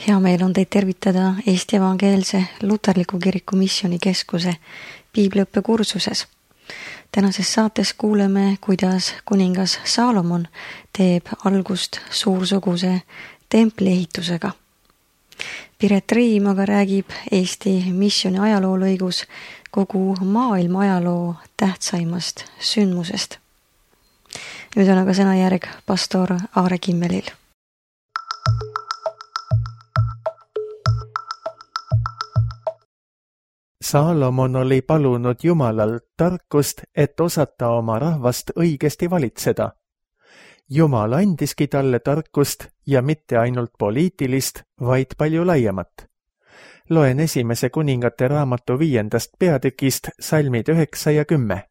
Hea meel on teid tervitada Eesti Evangeelse Luterliku Kiriku Missioonikeskuse piibliõppekursuses. Tänases saates kuuleme, kuidas kuningas Saalomon teeb algust suursuguse templi ehitusega. Piret Riim aga räägib Eesti missiooni ajaloolõigus kogu maailma ajaloo tähtsaimast sündmusest. Nüüd on aga sõnajärg pastor Aare Kimmelil. Saalomon oli palunud Jumalalt tarkust, et osata oma rahvast õigesti valitseda. Jumal andiski talle tarkust ja mitte ainult poliitilist, vaid palju laiemat. Loen 1. kuningate raamatu 5. peatükist salmid 9 ja 10.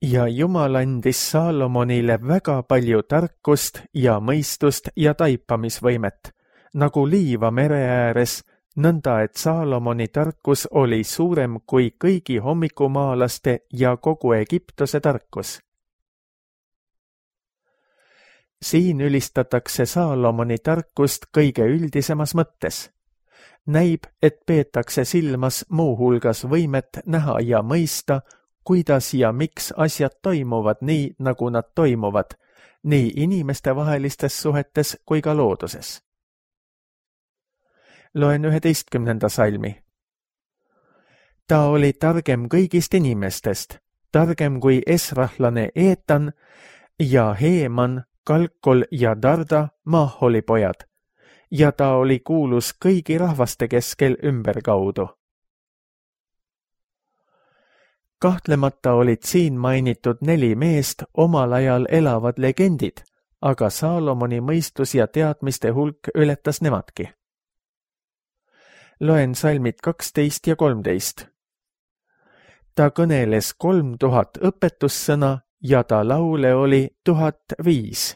Ja Jumal andis Saalomonile väga palju tarkust ja mõistust ja taipamisvõimet, nagu liiva mere ääres, nõnda et Saalomoni tarkus oli suurem kui kõigi hommikumaalaste ja kogu Egiptuse tarkus. Siin ülistatakse Saalomoni tarkust kõige üldisemas mõttes. Näib, et peetakse silmas muuhulgas võimet näha ja mõista, kuidas ja miks asjad toimuvad nii, nagu nad toimuvad, nii inimestevahelistes suhetes kui ka looduses. Loen 11. salmi. Ta oli targem kõigist inimestest, targem kui esrahlane Eetan ja Heeman, Kalkol ja Darda, Maaholi pojad, ja ta oli kuulus kõigi rahvaste keskel ümberkaudu. Kahtlemata olid siin mainitud 4 meest omal ajal elavad legendid, aga Saalomoni mõistus ja teadmiste hulk ületas nemadki. Loen salmid 12 ja 13. Ta kõneles 3000 õpetussõna ja ta laule oli 1005.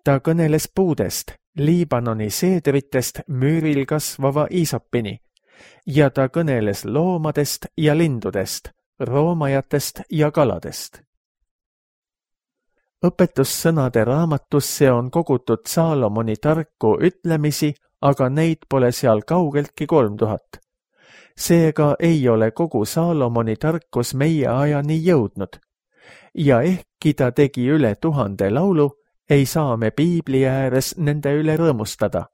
Ta kõneles puudest, Liibanoni seedritest müüril kasvava iisopini, ja ta kõneles loomadest ja lindudest, roomajatest ja kaladest. Õpetussõnade raamatusse on kogutud Saalomoni tarku ütlemisi, aga neid pole seal kaugeltki 3000. Seega ei ole kogu Saalomoni tarkus meie ajani jõudnud. Ja ehkki ta tegi üle 1000 laulu, ei saa me piibli ääres nende üle rõõmustada.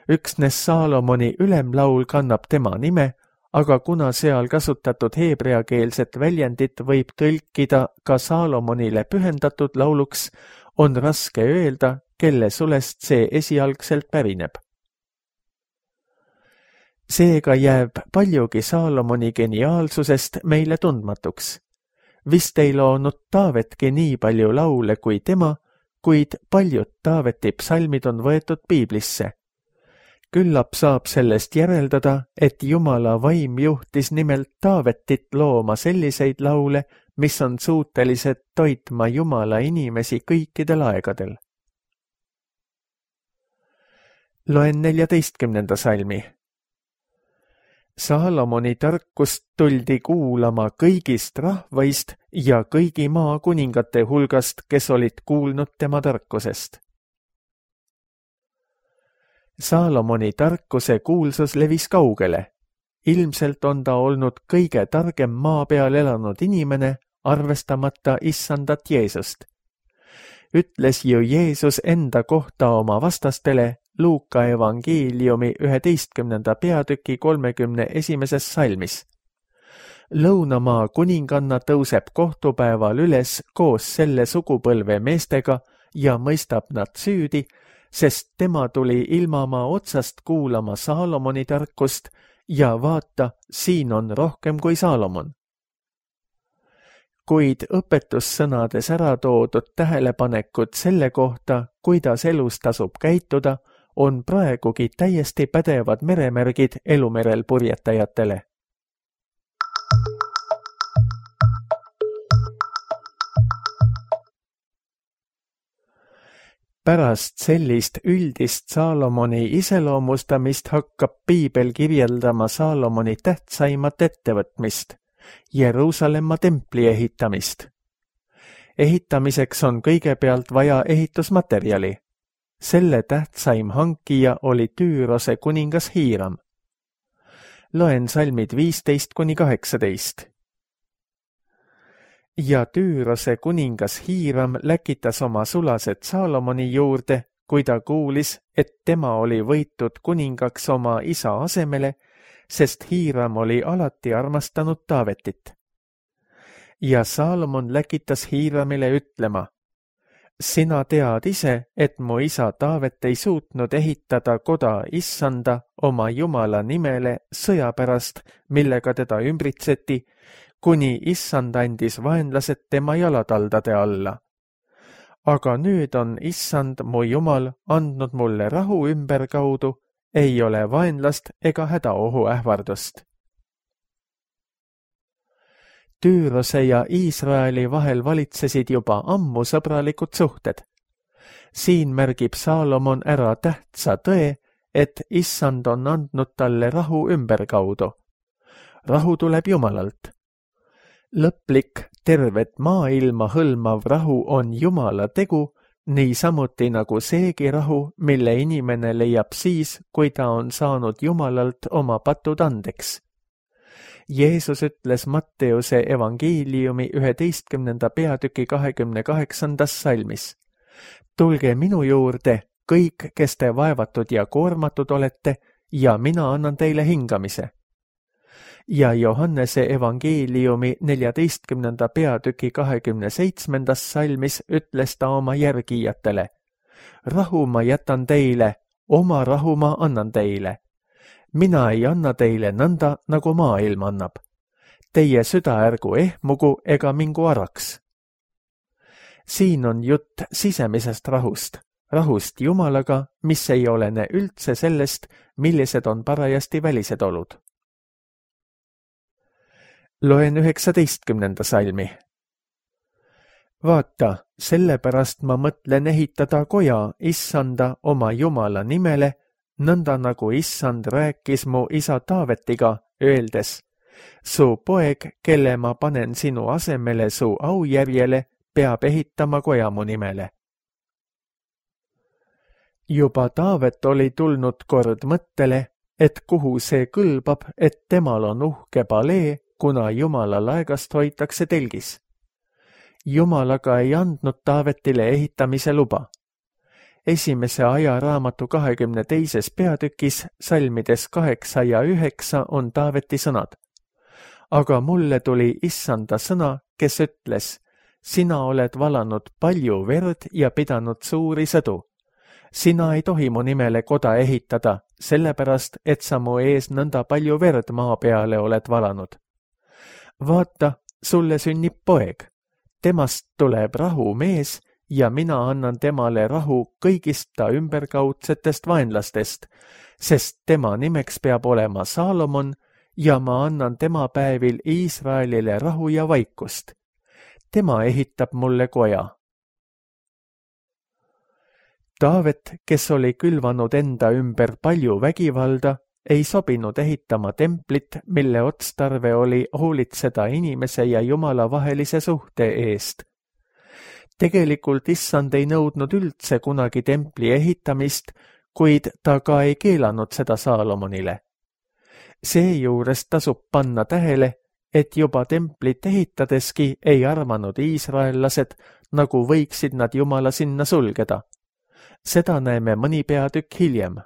Üksnes Saalomoni ülemlaul kannab tema nime, aga kuna seal kasutatud heebreakeelset väljendit võib tõlkida ka Saalomonile pühendatud lauluks, on raske öelda, kelle sulest see esialgselt pärineb. Seega jääb paljugi Saalomoni geniaalsusest meile tundmatuks. Vist ei loonud Taavetki nii palju laule kui tema, kuid paljud Taaveti psalmid on võetud piiblisse. Küllap saab sellest järeldada, et Jumala vaim juhtis nimelt Taavetit looma selliseid laule, mis on suutelised toitma Jumala inimesi kõikidel aegadel. Loen 14. salmi. Saalomoni tarkust tuldi kuulama kõigist rahvaist ja kõigi maa kuningate hulgast, kes olid kuulnud tema tarkusest. Saalomoni tarkuse kuulsus levis kaugele. Ilmselt on ta olnud kõige targem maa peal elanud inimene, arvestamata issandat Jeesust. Ütles ju Jeesus enda kohta oma vastastele Luuka evangeeliumi 11. peatüki 31. salmis. Lõunamaa kuninganna tõuseb kohtupäeval üles koos selle sugupõlve meestega ja mõistab nad süüdi, sest tema tuli ilmamaa otsast kuulama Saalomoni tarkust ja vaata, siin on rohkem kui Saalomon. Kuid õpetussõnades ära toodud tähelepanekud selle kohta, kuidas elus tasub käituda, on praegugi täiesti pädevad meremärgid elumerel purjetajatele. Pärast sellist üldist Saalomoni iseloomustamist hakkab piibel kirjeldama Saalomoni tähtsaimat ettevõtmist, Jeruusalemma templi ehitamist. Ehitamiseks on kõigepealt vaja ehitusmaterjali. Selle tähtsaim hankija oli Tüürose kuningas Hiiram. Loen salmid 15–18. Ja Tüürose kuningas Hiiram läkitas oma sulased Saalomoni juurde, kui ta kuulis, et tema oli võitud kuningaks oma isa asemele, sest Hiiram oli alati armastanud Taavetit. Ja Saalomon läkitas Hiiramile ütlema: sina tead ise, et mu isa Taavet ei suutnud ehitada koda Issanda oma Jumala nimele sõja pärast, millega teda ümbritseti, kuni Issand andis vaenlased tema jalataldade alla. Aga nüüd on Issand mu Jumal andnud mulle rahu ümberkaudu, ei ole vaenlast ega hädaohu ähvardust. Tüürose ja Iisraeli vahel valitsesid juba ammu sõbralikud suhted. Siin märgib Saalomon ära tähtsa tõe, et Issand on andnud talle rahu ümberkaudu. Rahu tuleb Jumalalt. Lõplik, tervet maailma hõlmav rahu on Jumala tegu, niisamuti nagu seegi rahu, mille inimene leiab siis, kui ta on saanud Jumalalt oma patud andeks. Jeesus ütles Matteuse evangeeliumi 11. peatüki 28. salmis: tulge minu juurde, kõik, kes te vaevatud ja koormatud olete, ja mina annan teile hingamise. Ja Johannese evangeeliumi 14. peatüki 27. salmis ütles ta oma järgijatele: rahu ma jätan teile, oma rahu ma annan teile. Mina ei anna teile nõnda, nagu maailm annab. Teie süda ärgu ehmugu ega mingu araks. Siin on jutt sisemisest rahust, rahust Jumalaga, mis ei olene üldse sellest, millised on parajasti välised olud. Loen 19. salmi. Vaata, sellepärast ma mõtlen ehitada koja Issanda oma Jumala nimele, nõnda nagu Issand rääkis mu isa Taavetiga, öeldes: su poeg, kelle ma panen sinu asemele su aujärjele, peab ehitama koja mu nimele. Juba Taavet oli tulnud kord mõttele, et kuhu see kõlbab, et temal on uhke palee, kuna Jumala laegast hoitakse telgis. Jumal aga ei andnud Taavetile ehitamise luba. Esimese ajaraamatu 22. peatükis salmides 8 ja 9 on Taaveti sõnad. Aga mulle tuli Issanda sõna, kes ütles: sina oled valanud palju verd ja pidanud suuri sõdu. Sina ei tohi mu nimele koda ehitada, sellepärast, et sa mu ees nõnda palju verd maa peale oled valanud. Vaata, sulle sünnib poeg. Temast tuleb rahumees ja mina annan temale rahu kõigist ta ümberkaudsetest vaenlastest, sest tema nimeks peab olema Saalomon ja ma annan tema päevil Iisraelile rahu ja vaikust. Tema ehitab mulle koja. Taavet, kes oli külvanud enda ümber palju vägivalda, ei sobinud ehitama templit, mille otstarve oli hoolitseda inimese ja Jumala vahelise suhte eest. Tegelikult Issand ei nõudnud üldse kunagi templi ehitamist, kuid ta ka ei keelanud seda Saalomonile. Seejuures tasub panna tähele, et juba templit ehitadeski ei arvanud iisraellased, nagu võiksid nad Jumala sinna sulgeda. Seda näeme mõni peatükk hiljem.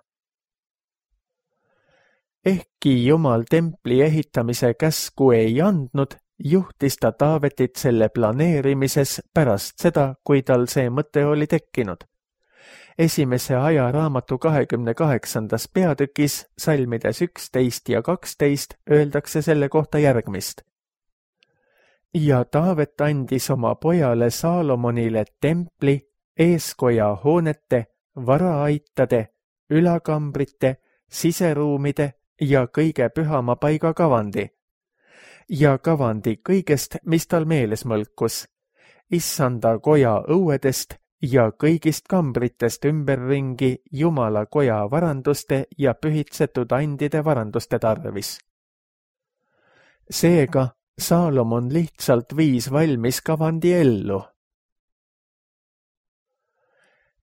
Ehkki Jumal templi ehitamise käsku ei andnud, juhtis ta Taavetit selle planeerimises pärast seda, kui tal see mõte oli tekkinud. Esimese ajaraamatu 28. peatükis salmides 11 ja 12 öeldakse selle kohta järgmist. Ja Taavet andis oma pojale Saalomonile templi, eeskoja hoonete, varaaitade, ülakambrite, siseruumide ja kõige pühama paiga kavandi. Ja kavandi kõigest, mis tal meeles mõlkus, Issanda koja õuedest ja kõigist kambritest ümberringi Jumala koja varanduste ja pühitsetud andide varanduste tarvis. Seega Saalomon lihtsalt viis valmis kavandi ellu.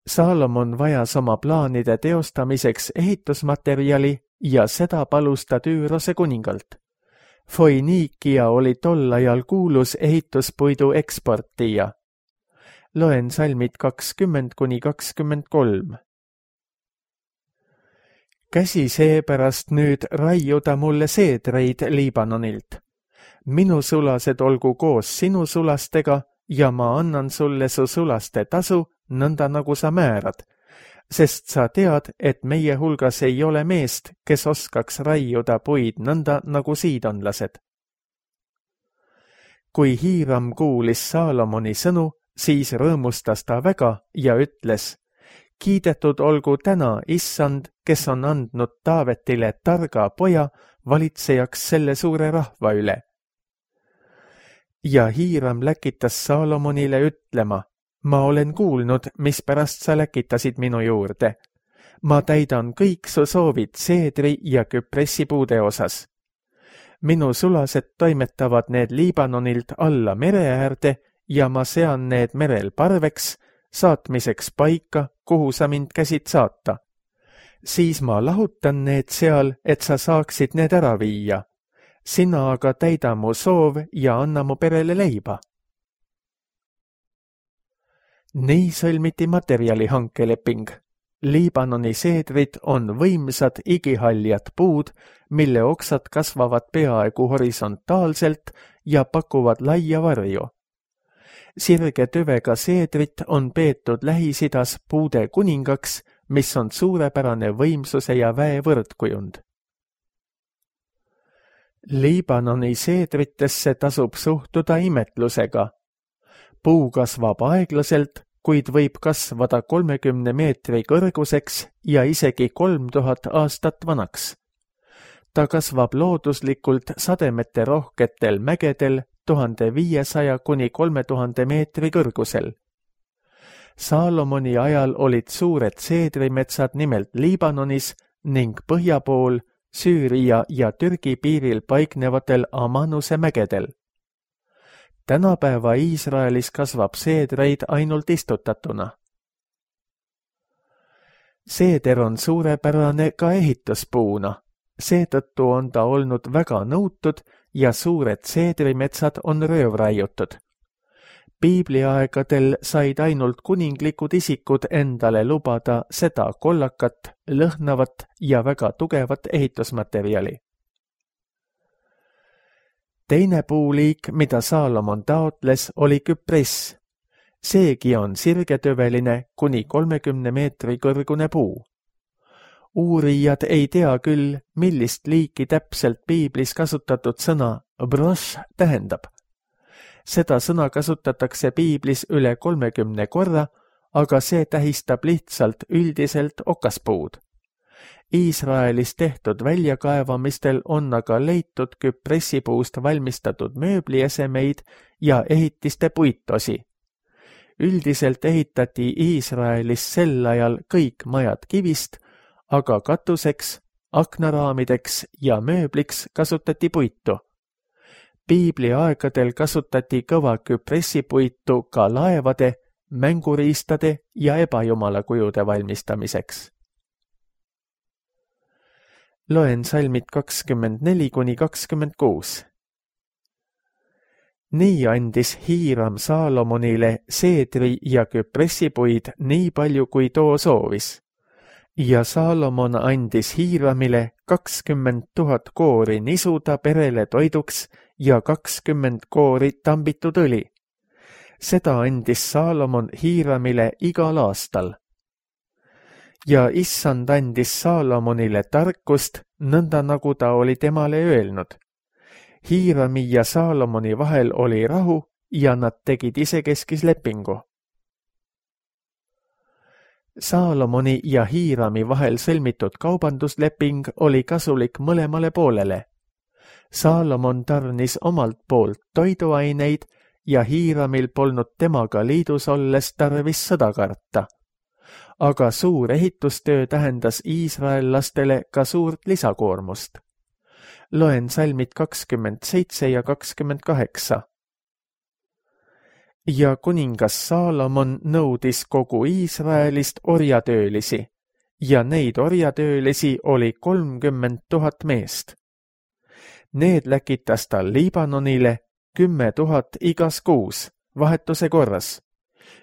Saalomon vajas oma plaanide teostamiseks ehitusmaterjali ja seda palus ta Tüürose kuningalt. Foiniikia oli tol ajal kuulus ehituspuidu eksportija. Loen salmid 20–23. Käsi seepärast nüüd raiuda mulle seedreid Liibanonilt. Minu sulased olgu koos sinu sulastega ja ma annan sulle su sulaste tasu, nõnda nagu sa määrad, sest sa tead, et meie hulgas ei ole meest, kes oskaks raiuda puid nõnda nagu siidonlased. Kui Hiiram kuulis Saalomoni sõnu, siis rõõmustas ta väga ja ütles, kiidetud olgu täna Issand, kes on andnud Taavetile targa poja valitsejaks selle suure rahva üle. Ja Hiiram läkitas Saalomonile ütlema, ma olen kuulnud, mispärast sa läkitasid minu juurde. Ma täidan kõik su soovid seedri ja küpressipuude osas. Minu sulased toimetavad need Liibanonilt alla mere äärde ja ma sean need merel parveks, saatmiseks paika, kuhu sa mind käsid saata. Siis ma lahutan need seal, et sa saaksid need ära viia. Sina aga täida mu soov ja anna mu perele leiba. Nii sõlmiti materjalihankeleping. Liibanoni seedrid on võimsad igihaljad puud, mille oksad kasvavad peaaegu horisontaalselt ja pakuvad laia varju. Sirge tüvega seedrit on peetud Lähis-Idas puude kuningaks, mis on suurepärane võimsuse ja väe võrdkujund. Liibanoni seedritesse tasub suhtuda imetlusega. Puu kasvab aeglaselt, kuid võib kasvada 30 meetri kõrguseks ja isegi 3000 aastat vanaks. Ta kasvab looduslikult sademete rohketel mägedel 1500–3000 meetri kõrgusel. Saalomoni ajal olid suured seedrimetsad nimelt Liibanonis ning põhja pool Süüria ja Türgi piiril paiknevatel Amanuse mägedel. Tänapäeva Iisraelis kasvab seedreid ainult istutatuna. Seeder on suurepärane ka ehituspuuna, seetõttu on ta olnud väga nõutud ja suured seedrimetsad on röövraiutud. Piibliaegadel said ainult kuninglikud isikud endale lubada seda kollakat, lõhnavat ja väga tugevat ehitusmaterjali. Teine puuliik, mida Saalomon taotles, oli küpress. Seegi on sirgetüveline kuni 30 meetri kõrgune puu. Uurijad ei tea küll, millist liiki täpselt piiblis kasutatud sõna broš tähendab. Seda sõna kasutatakse piiblis üle 30 korra, aga see tähistab lihtsalt üldiselt okaspuud. Iisraelis tehtud väljakaevamistel on aga leitud küpressipuust valmistatud mööbliesemeid ja ehitiste puitosi. Üldiselt ehitati Iisraelis sel ajal kõik majad kivist, aga katuseks, aknaraamideks ja mööbliks kasutati puitu. Piibli aegadel kasutati kõva küpressipuitu ka laevade, mänguriistade ja ebajumalakujude valmistamiseks. Loen salmid 24–26. Nii andis Hiiram Saalomonile seedri ja küpressipuid nii palju, kui too soovis. Ja Saalomon andis Hiiramile 20 000 koori nisuda perele toiduks ja 20 koori tambitud õli. Seda andis Saalomon Hiiramile igal aastal. Ja Issand andis Saalomonile tarkust, nõnda nagu ta oli temale öelnud. Hiirami ja Saalomoni vahel oli rahu ja nad tegid isekeskis lepingu. Saalomoni ja Hiirami vahel sõlmitud kaubandusleping oli kasulik mõlemale poolele. Saalomon tarnis omalt poolt toiduaineid ja Hiiramil polnud temaga liidus olles tarvis sõda karta. Aga suur ehitustöö tähendas iisraellastele ka suurt lisakoormust. Loen salmid 27 ja 28. ja kuningas Saalomon nõudis kogu Iisraelist orjatöölisi ja neid orjatöölisi oli 30 000 meest. Need läkitas ta Liibanonile 10 000 igas kuus, vahetuse korras.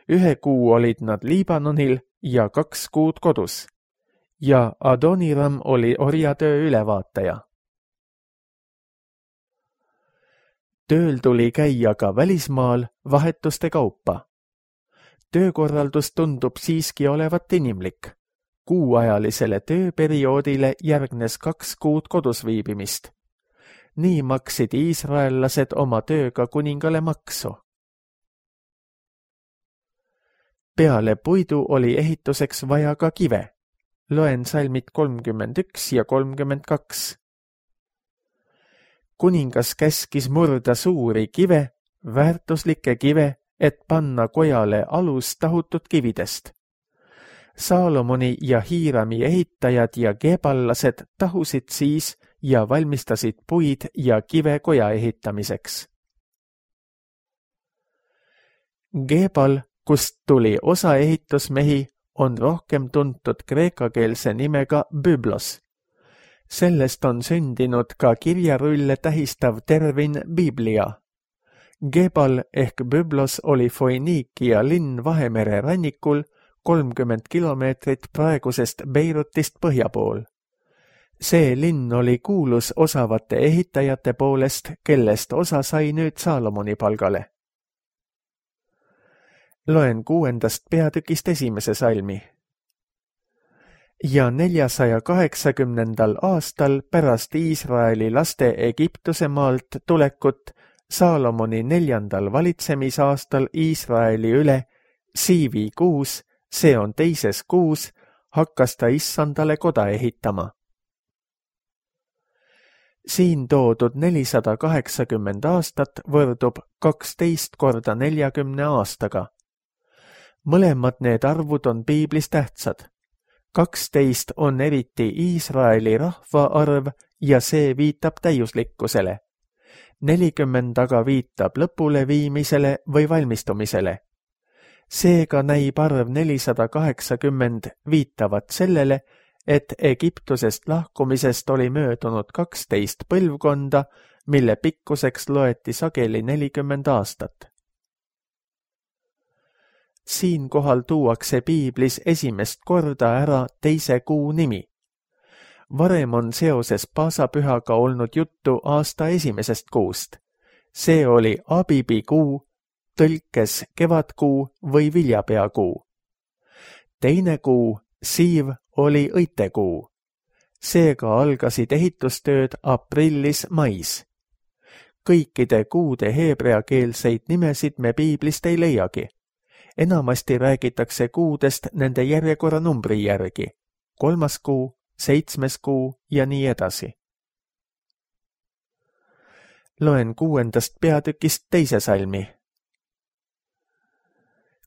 1 kuu olid nad Liibanonil ja 2 kuud kodus. Ja Adoniram oli orjatöö ülevaataja. Tööl tuli käia ka välismaal vahetuste kaupa. Töökorraldus tundub siiski olevat inimlik. Kuuajalisele tööperioodile järgnes 2 kuud kodus viibimist. Nii maksid iisraellased oma tööga kuningale maksu. Peale puidu oli ehituseks vaja ka kive. Loen salmid 31 ja 32. Kuningas käskis murda suuri kive, väärtuslikke kive, et panna kojale alus tahutud kividest. Saalomoni ja Hiirami ehitajad ja geeballased tahusid siis ja valmistasid puid ja kive koja ehitamiseks. Geebal, kust tuli osa ehitusmehi, on rohkem tuntud kreekakeelse nimega Byblos. Sellest on sündinud ka kirjarulle tähistav termin Biblia. Gebal ehk Byblos oli Foiniikia linn Vahemere rannikul 30 kilomeetrit praegusest Beirutist põhja pool. See linn oli kuulus osavate ehitajate poolest, kellest osa sai nüüd Saalomoni palgale. Loen 6. peatükist 1. salmi. Ja 480. aastal pärast Iisraeli laste Egiptuse maalt tulekut Saalomoni 4. valitsemisaastal Iisraeli üle Siivi kuus, see on 2. kuus, hakkas ta Issandale koda ehitama. Siin toodud 480 aastat võrdub 12 korda 40 aastaga. Mõlemad need arvud on piiblis tähtsad. 12 on eriti Iisraeli rahva arv ja see viitab täiuslikkusele. 40 aga viitab lõpule viimisele või valmistumisele. Seega näib arv 480 viitavat sellele, et Egiptusest lahkumisest oli möödunud 12 põlvkonda, mille pikkuseks loeti sageli 40 aastat. Siinkohal tuuakse piiblis esimest korda ära 2. kuu nimi. Varem on seoses paasapühaga olnud juttu aasta 1. kuust. See oli Abibi kuu, tõlkes kevadkuu või viljapeakuu. 2. kuu, Siiv, oli õitekuu. Seega algasid ehitustööd aprillis-mais. Kõikide kuude heebreakeelseid nimesid me piiblist ei leiagi. Enamasti räägitakse kuudest nende järjekorranumbri järgi. 3. kuu, 7. kuu ja nii edasi. Loen 6. peatükist 2. salmi.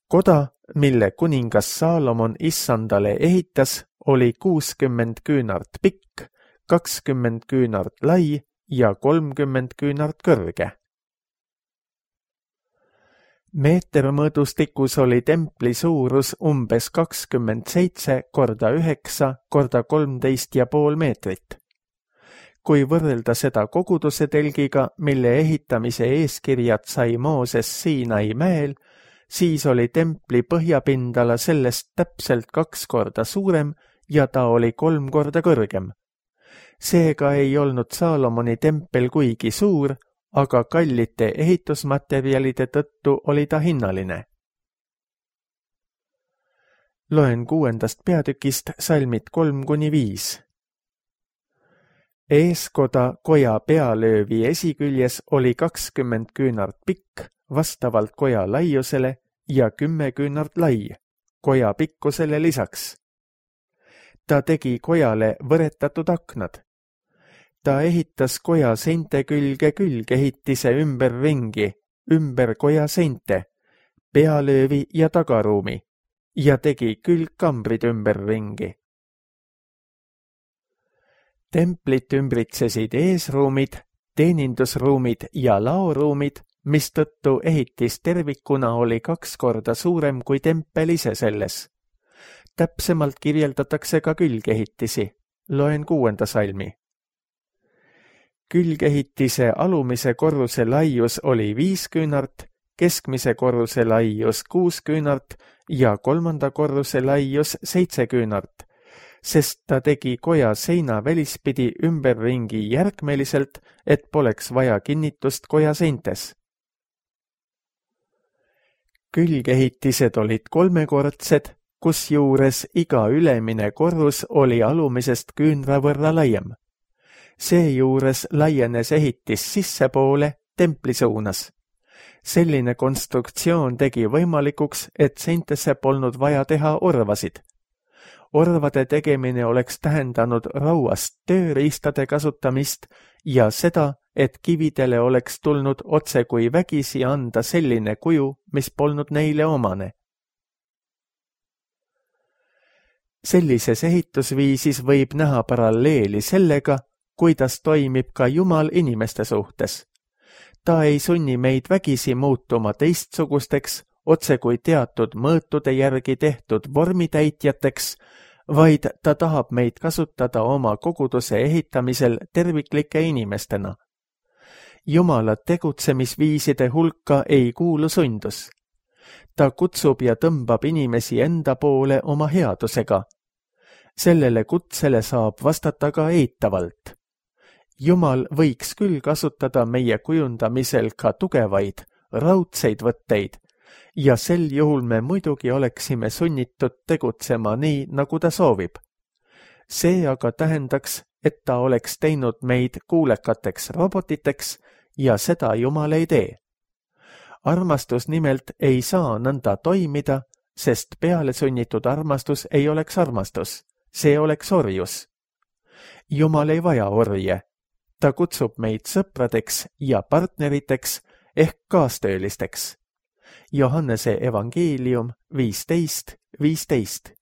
Koda, mille kuningas Saalomon Issandale ehitas, oli 60 küünart pikk, 20 küünart lai ja 30 küünart kõrge. Meetermõõdustikus oli templi suurus umbes 27 korda 9 korda 13,5 meetrit. Kui võrrelda seda koguduse telgiga, mille ehitamise eeskirjad sai Mooses Siinai mäel, siis oli templi põhjapindala sellest täpselt 2 korda suurem ja ta oli 3 korda kõrgem. Seega ei olnud Saalomoni tempel kuigi suur, aga kallite ehitusmaterjalide tõttu oli ta hinnaline. Loen 6. peatükist salmid 3-5. Eeskoda koja pealöövi esiküljes oli 20 küünart pikk, vastavalt koja laiusele ja 10 küünart lai, koja pikkusele lisaks. Ta tegi kojale võretatud aknad. Ta ehitas koja seinte külge külgehitise ümberringi, ümber koja seinte, pealöövi ja tagaruumi ja tegi külgkambrid ümberringi. Templit ümbritsesid eesruumid, teenindusruumid ja laoruumid mistõttu ehitis tervikuna oli 2 korda suurem kui tempel ise selles. Täpsemalt kirjeldatakse ka külgehitisi. Loen 6. salmi. Külgehitise alumise korruse laius oli 5 küünart, keskmise korruse laius 6 küünart ja 3. korruse laius 7 küünart, sest ta tegi koja seina välispidi ümberringi järgmeliselt, et poleks vaja kinnitust koja seintes. Külgehitised olid 3-kordsed, kusjuures iga ülemine korrus oli alumisest küünra võrra laiem. Seejuures laienes ehitis sissepoole templi suunas. Selline konstruktsioon tegi võimalikuks, et seintesse polnud vaja teha orvasid. Orvade tegemine oleks tähendanud rauast tööriistade kasutamist ja seda, et kividele oleks tulnud otse kui vägisi anda selline kuju, mis polnud neile omane. Sellises ehitusviisis võib näha paralleeli sellega, kuidas toimib ka Jumal inimeste suhtes. Ta ei sunni meid vägisi muutuma teistsugusteks, otse kui teatud mõõtude järgi tehtud vormitäitjateks, vaid ta tahab meid kasutada oma koguduse ehitamisel terviklike inimestena. Jumala tegutsemisviiside hulka ei kuulu sundus. Ta kutsub ja tõmbab inimesi enda poole oma headusega. Sellele kutsele saab vastata ka eitavalt. Jumal võiks küll kasutada meie kujundamisel ka tugevaid, raudseid võtteid ja sel juhul me muidugi oleksime sunnitud tegutsema nii, nagu ta soovib. See aga tähendaks, et ta oleks teinud meid kuulekateks robotiteks ja seda Jumal ei tee. Armastus nimelt ei saa nõnda toimida, sest peale sunnitud armastus ei oleks armastus, see oleks orjus. Jumal ei vaja orje. Ta kutsub meid sõpradeks ja partneriteks ehk kaastöölisteks. Johannese evangeelium 15:15.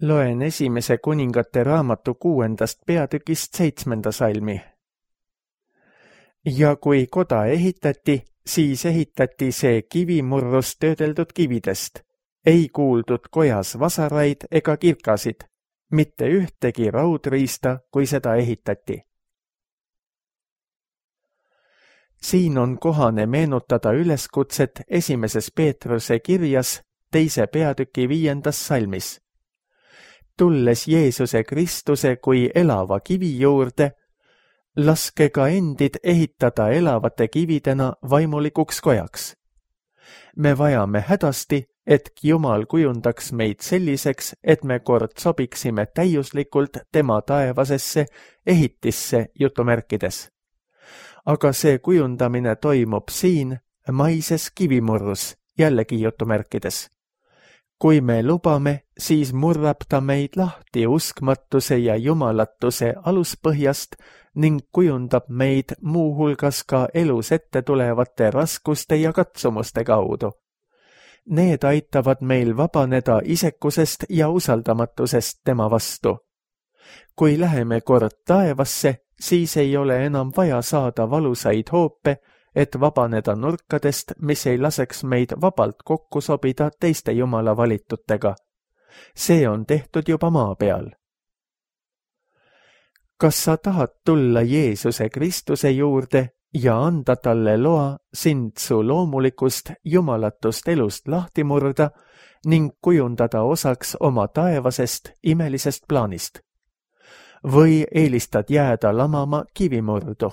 Loen 1. kuningate raamatu 6. peatükist 7. salmi. Ja kui koda ehitati, siis ehitati see kivimurrust töödeldud kividest. Ei kuuldud kojas vasaraid ega kirkasid, mitte ühtegi raudriista, kui seda ehitati. Siin on kohane meenutada üleskutset 1. Peetruse kirjas 2. peatüki 5. salmis. Tulles Jeesuse Kristuse kui elava kivi juurde, laske ka endid ehitada elavate kividena vaimulikuks kojaks. Me vajame hädasti, et Jumal kujundaks meid selliseks, et me kord sobiksime täiuslikult tema taevasesse ehitisse jutumärkides. Aga see kujundamine toimub siin maises kivimurrus, jällegi jutumärkides. Kui me lubame, siis murrab ta meid lahti uskmatuse ja jumalatuse aluspõhjast ning kujundab meid muuhulgas ka elus ette tulevate raskuste ja katsumuste kaudu. Need aitavad meil vabaneda isekusest ja usaldamatusest tema vastu. Kui läheme kord taevasse, siis ei ole enam vaja saada valusaid hoope, et vabaneda nurkadest, mis ei laseks meid vabalt kokku sobida teiste Jumala valitutega. See on tehtud juba maa peal. Kas sa tahad tulla Jeesuse Kristuse juurde ja anda talle loa sind su loomulikust jumalatust elust lahti murda ning kujundada osaks oma taevasest imelisest plaanist? Või eelistad jääda lamama kivimurdu?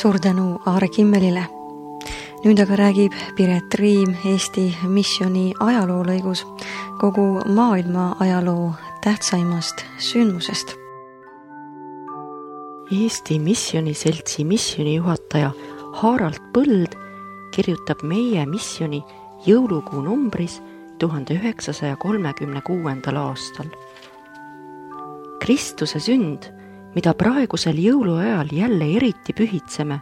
Suur tänu Aare Kimmelile. Nüüd aga räägib Piret Riim Eesti missiooni ajaloolõigus kogu maailma ajaloo tähtsaimast sündmusest. Eesti Missioniseltsi missionijuhataja Harald Põld kirjutab meie missioni jõulukuu numbris 1936. aastal. Kristuse sünd, mida praegusel jõuluajal jälle eriti pühitseme,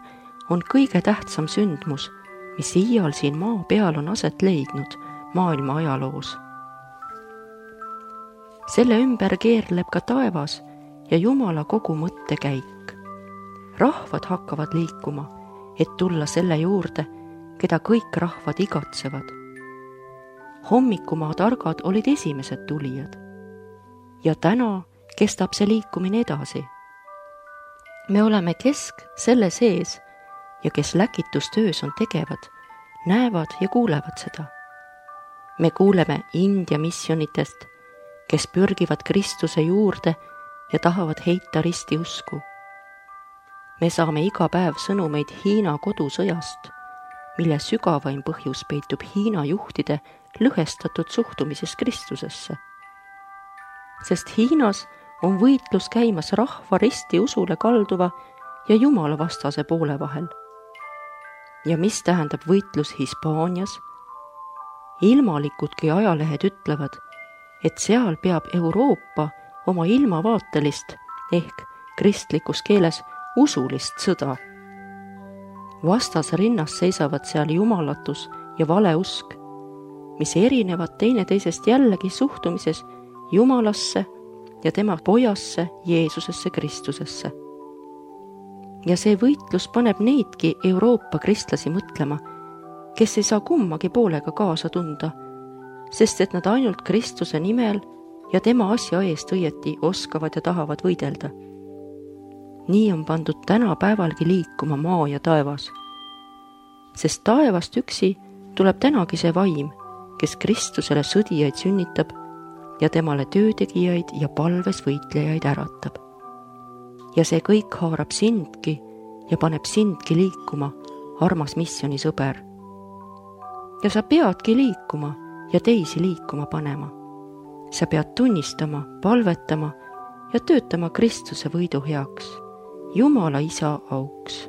on kõige tähtsam sündmus, mis iial siin maa peal on aset leidnud maailma ajaloos. Selle ümber keerleb ka taevas ja Jumala kogu mõttekäik. Rahvad hakkavad liikuma, et tulla selle juurde, keda kõik rahvad igatsevad. Hommikumaa targad olid esimesed tulijad. Ja täna kestab see liikumine edasi. Me oleme kesk selle sees ja kes läkitustöös on tegevad, näevad ja kuulevad seda. Me kuuleme India missionitest, kes pürgivad Kristuse juurde ja tahavad heita ristiusku. Me saame iga päev sõnumeid Hiina kodusõjast, mille sügavaim põhjus peitub Hiina juhtide lõhestatud suhtumises Kristusesse. Sest Hiinas on võitlus käimas rahva ristiusule kalduva ja Jumala vastase poole vahel. Ja mis tähendab võitlus Hispaanias? Ilmalikudki ajalehed ütlevad, et seal peab Euroopa oma ilmavaatelist ehk kristlikus keeles usulist sõda. Vastasrinnas seisavad seal jumalatus ja valeusk, mis erinevad teineteisest jällegi suhtumises Jumalasse ja tema pojasse Jeesusesse Kristusesse. Ja see võitlus paneb neidki Euroopa kristlasi mõtlema, kes ei saa kummagi poolega kaasa tunda, sest et nad ainult Kristuse nimel ja tema asja eest õieti oskavad ja tahavad võidelda. Nii on pandud täna päevalgi liikuma maa ja taevas. Sest taevast üksi tuleb tänagi see vaim, kes Kristusele sõdijaid sünnitab ja temale töötegijaid ja palves võitlejaid äratab. Ja see kõik haarab sindki ja paneb sindki liikuma, armas missioonisõber. Ja sa peadki liikuma ja teisi liikuma panema. Sa pead tunnistama, palvetama ja töötama Kristuse võidu heaks, Jumala Isa auks.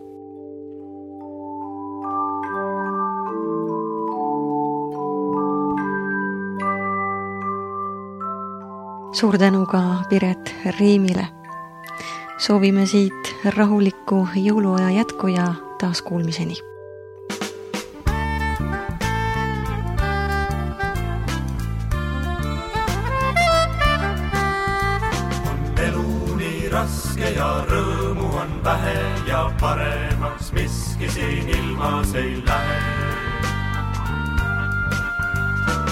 Suur tänu ka Piret Riimile. Soovime siit rahulikku jõuluaja jätku ja taas kuulmiseni. Raske ja rõõmu on vähe ja paremaks miski siin ilmas ei lähe.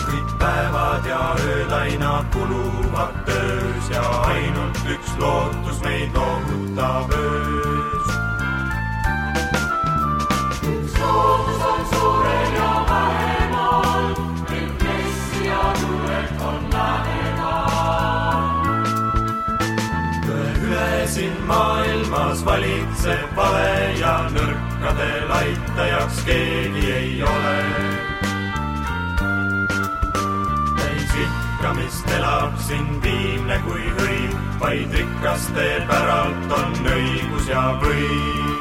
Kõik päevad ja ööd aina kuluvad töös ja ainult üks lootus meid loovutab öös. Üks lootus on suurel ja vähemal, et Messia tulek on lähemal. Siin maailmas valitseb vale ja nõrkadel aitajaks keegi ei ole. Täis ikkamist elab siin viimne kui hõim, vaid rikaste päralt on õigus ja võim.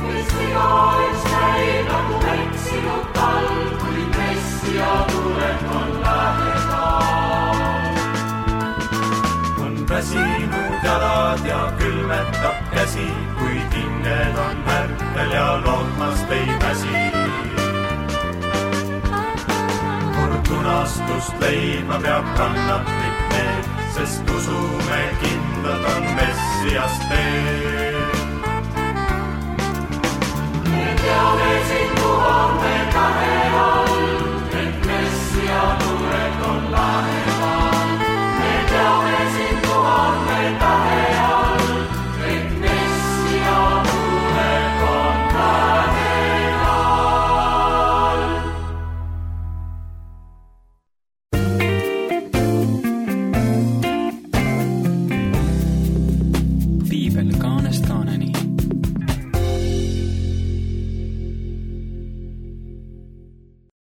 Messia üks näib nagu eksinud talv, kui Messia tulek on lähemal. Väsinud jalad ja külmetab käsi, kui hinged on märtel ja lootmast ei väsi. Kord unastust leidma peab kannatlik need, sest usume kindlad on Messias teed. Me teame sind, kuhu me tahe